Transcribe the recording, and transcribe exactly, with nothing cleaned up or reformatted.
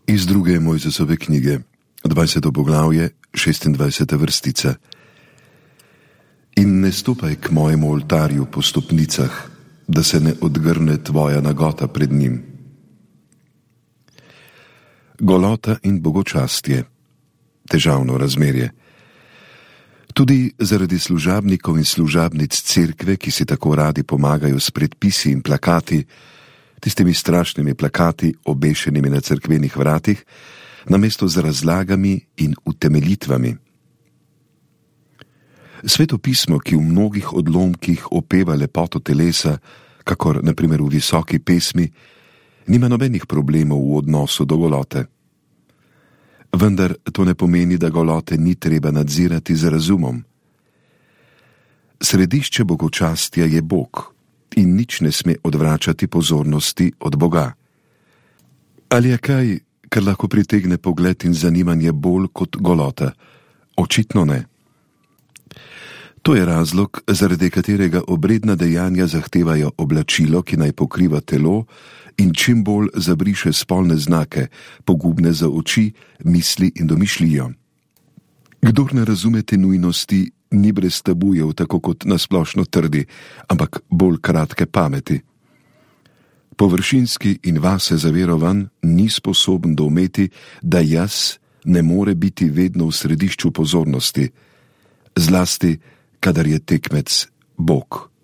Iz druge Mojzesove knjige, dvajseto poglavje, šestindvajseta vrstica. In ne stopaj k mojemu oltarju po stopnicah, da se ne odgrne tvoja nagota pred njim. Golota in bogočastje, težavno razmerje. Tudi zaradi služabnikov in služabnic cerkve, ki si tako radi pomagajo s predpisi in plakati, tistimi strašnimi plakati, obešenimi na cerkvenih vratih, namesto z razlagami in utemeljitvami. Sveto pismo, ki v mnogih odlomkih opeva lepoto telesa, kakor na primer v Visoki pesmi, nima nobenih problemov v odnosu do golote. Vendar to ne pomeni, da golote ni treba nadzirati z razumom. Središče bogočastja je Bog in nič ne sme odvračati pozornosti od Boga. Ali je kaj, kar lahko pritegne pogled in zanimanje bolj kot golota? Očitno ne. To je razlog, zaradi katerega obredna dejanja zahtevajo oblačilo, ki naj pokriva telo in čim bolj zabriše spolne znake, pogubne za oči, misli in domišljijo. Kdor ne razume te nujnosti, ni brez tabujev, tako kot nasplošno trdi, ampak bolj kratke pameti. Površinski in vase zaverovan ni sposoben doumeti, da jaz ne more biti vedno v središču pozornosti, zlasti kadar je tekmec Bog.